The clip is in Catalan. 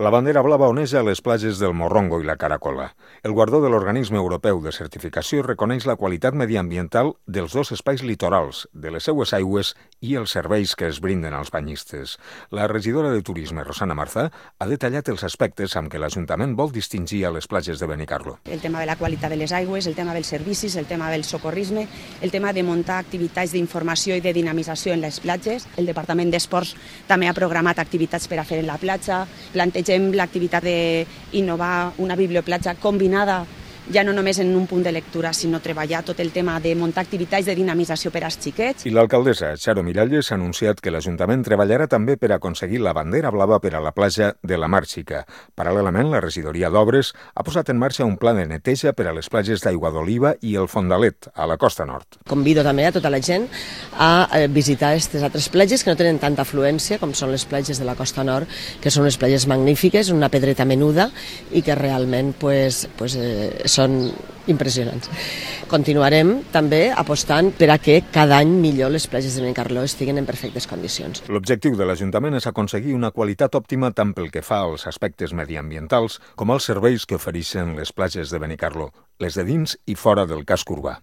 La bandera blava oneja a les platges del Morrongo i la Caracola. El guardó de l'Organisme Europeu de Certificació reconeix la qualitat mediambiental dels dos espais litorals, de les seues aigües i els serveis que es brinden als banyistes. La regidora de Turisme, Rosana Marzà, ha detallat els aspectes amb què l'Ajuntament vol distingir a les platges de Benicarló. El tema de la qualitat de les aigües, el tema dels servicis, el tema del socorrisme, el tema de muntar activitats d'informació i de dinamització en les platges. El Departament d'Esports també ha programat activitats per a fer en la platja. Plantegem l'activitat d'innovar una biblioplatja combinada, ja no només en un punt de lectura, sinó treballar tot el tema de muntar activitats de dinamització per als xiquets. I l'alcaldessa, Charo Miralles, ha anunciat que l'Ajuntament treballarà també per aconseguir la bandera blava per a la platja de la Mar Xica. Paral·lelament, la regidoria d'Obres ha posat en marxa un pla de neteja per a les platges d'Aigua d'Oliva i el Fondalet, a la costa nord. Convido també a tota la gent a visitar aquestes altres platges que no tenen tanta afluència com són les platges de la costa nord, que són unes platges magnífiques, una pedreta menuda i que realment són impressionants. Continuarem també apostant per a que cada any millor les platges de Benicarló estiguen en perfectes condicions. L'objectiu de l'Ajuntament és aconseguir una qualitat òptima tant pel que fa als aspectes mediambientals com als serveis que ofereixen les platges de Benicarló, les de dins i fora del casc urbà.